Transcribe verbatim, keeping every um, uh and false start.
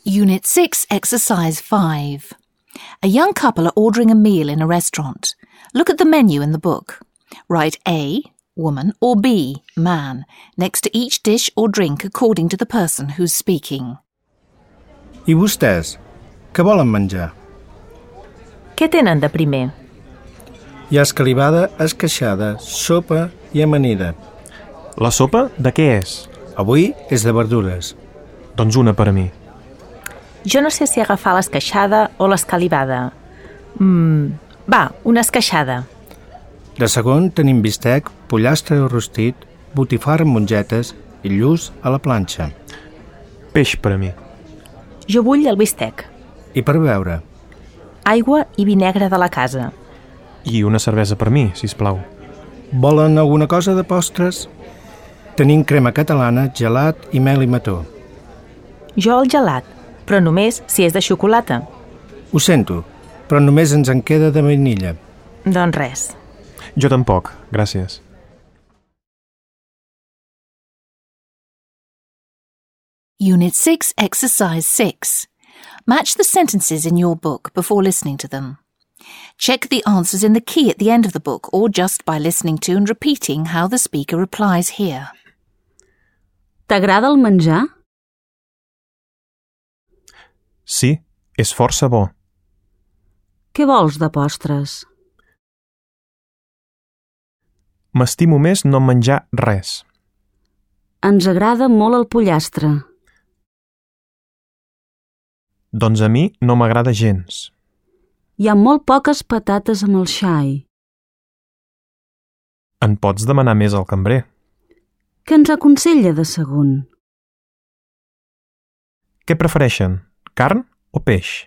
Unit six, Exercise five. A young couple are ordering a meal in a restaurant. Look at the menu in the book. Write A, woman, or B, man, next to each dish or drink according to the person who's speaking. I vostès, què volen menjar? Què tenen de primer? Hi ha escalivada, esqueixada, sopa i amanida. La sopa de què és? Avui és de verdures. Doncs una per a mi. Jo no sé si agafar l'esqueixada o l'escalivada. Mm, va, una esqueixada. De segon tenim bistec, pollastre rostit, botifar amb mongetes i lluç a la planxa. Peix per a mi. Jo vull el bistec. I per beure? Aigua i vi negre de la casa. I una cervesa per mi, sisplau. Volen alguna cosa de postres? Tenim crema catalana, gelat i mel i mató. Jo el gelat, però només si és de xocolata. Ho sento, però només ens en queda de vainilla. Doncs res. Jo tampoc, gràcies. Unit six, Exercise six. Match the sentences in your book before listening to them. Check the answers in the key at the end of the book or just by listening to and repeating how the speaker replies here. T'agrada el menjar? Sí, és força bo. Què vols de postres? M'estimo més no menjar res. Ens agrada molt el pollastre. Doncs a mi no m'agrada gens. Hi ha molt poques patates amb el xai. En pots demanar més al cambrer. Què ens aconsella de segon? Què prefereixen, carn o peix?